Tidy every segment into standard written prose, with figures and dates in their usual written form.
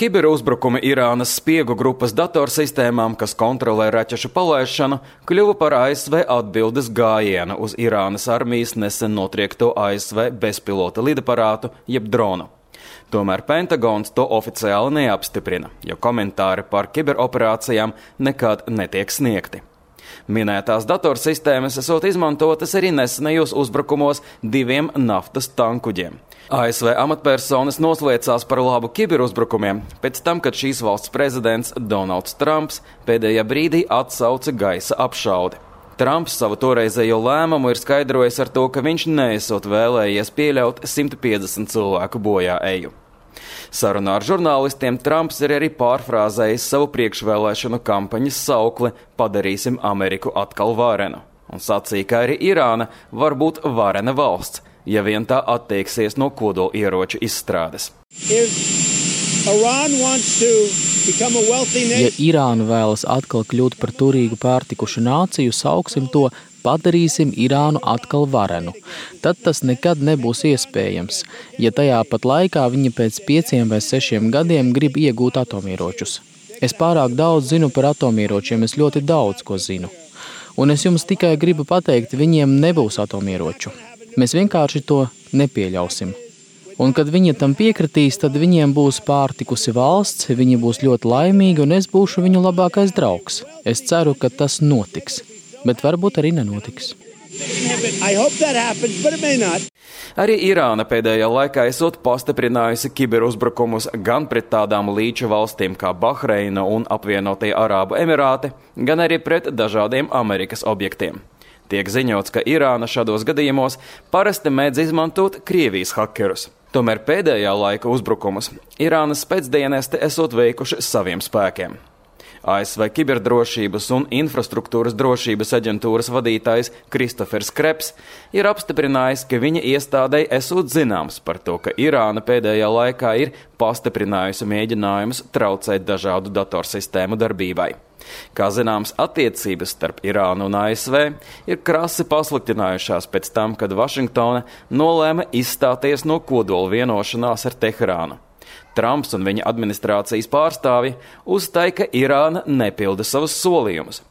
Kiberuzbrukumi Irānas spiegu grupas datorsistēmām, kas kontrolē raķešu palaišanu, kļuva par ASV atbildes gājienu uz Irānas armijas nesen notriekto ASV bezpilota lidaparātu jeb dronu. Tomēr Pentagons to oficiāli neapstiprina, jo komentāri par kiberoperācijām nekad netiek sniegti. Minētās datorsistēmas esot izmantotas arī nesenajos uzbrukumos 2 naftas tankuģiem. ASV amatpersonas noslēdzās par labu kiberuzbrukumiem pēc tam, kad šīs valsts prezidents Donalds Trumps pēdējā brīdī atsauca gaisa apšaudi. Trumps savu toreizējo lēmumu ir skaidrojis ar to, ka viņš neesot vēlējies pieļaut 150 cilvēku bojā eju. Sarunā ar žurnālistiem Trumps ir arī pārfrāzējis savu priekšvēlēšanu kampaņas saukli "Padarīsim Ameriku atkal varenu" un sacīja, ka arī Irāna var būt varena valsts, ja vien tā atteiksies no kodolieroču izstrādes. Ja Irāna vēlas atkal kļūt par turīgu pārtikušu nāciju, sauksim to "Padarīsim Irānu atkal varenu". Tad tas nekad nebūs iespējams, ja tajā pat laikā viņi pēc 5 vai 6 gadiem grib iegūt atomieročus. Es pārāk daudz zinu par atomieročiem, es ļoti daudz ko zinu. Un es jums tikai gribu pateikt, viņiem nebūs atomieroču. Mēs vienkārši to nepieļausim. Un kad viņi tam piekritīs, tad viņiem būs pārtikusi valsts, viņi būs ļoti laimīgi un es būšu viņu labākais draugs. Es ceru, ka tas notiks. Bet varbūt arī nenotiks. Arī Irāna pēdējā laikā esot pastiprinājusi kiberuzbrukumus gan pret tādām līča valstīm kā Bahreina un apvienotie Arābu Emirāti, gan arī pret dažādiem Amerikas objektiem. Tiek ziņots, ka Irāna šādos gadījumos parasti mēdz izmantot Krievijas hakerus. Tomēr pēdējā laika uzbrukumus Irānas spēcdienesti esot veikuši saviem spēkiem. ASV kiberdrošības un infrastruktūras drošības aģentūras vadītājs Kristofers Kreps ir apstiprinājis, ka viņa iestādei esot zināms par to, ka Irāna pēdējā laikā ir pastiprinājusi mēģinājumus traucēt dažādu datorsistēmu darbībai. Kā zināms, attiecības starp Irānu un ASV ir krasi pasliktinājušās pēc tam, kad Vašingtona nolēma izstāties no kodola vienošanās ar Teherānu. Trumps un viņa administrācijas pārstāvji uzstāja, ka Irāna nepilda savus solījumus.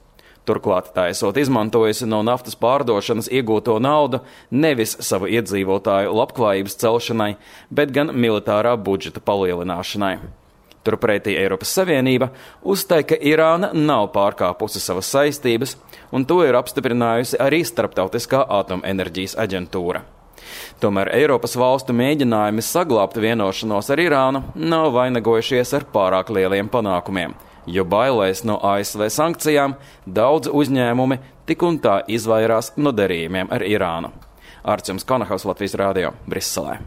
Turklāt tā esot izmantojusi no naftas pārdošanas iegūto naudu nevis savu iedzīvotāju labklājības celšanai, bet gan militārā budžeta palielināšanai. Turpretī Eiropas Savienība uzstāja, ka Irāna nav pārkāpusi savas saistības, un to ir apstiprinājusi arī Starptautiskā atomenerģijas aģentūra. Tomēr Eiropas valstu mēģinājumi saglabāt vienošanos ar Irānu nav vainagojušies ar pārāk lieliem panākumiem, jo bailēs no ASV sankcijām daudz uzņēmumi tik un tā izvairās no darījumiem ar Irānu. Arčuns Konahaus, Latvijas radio, Briselē.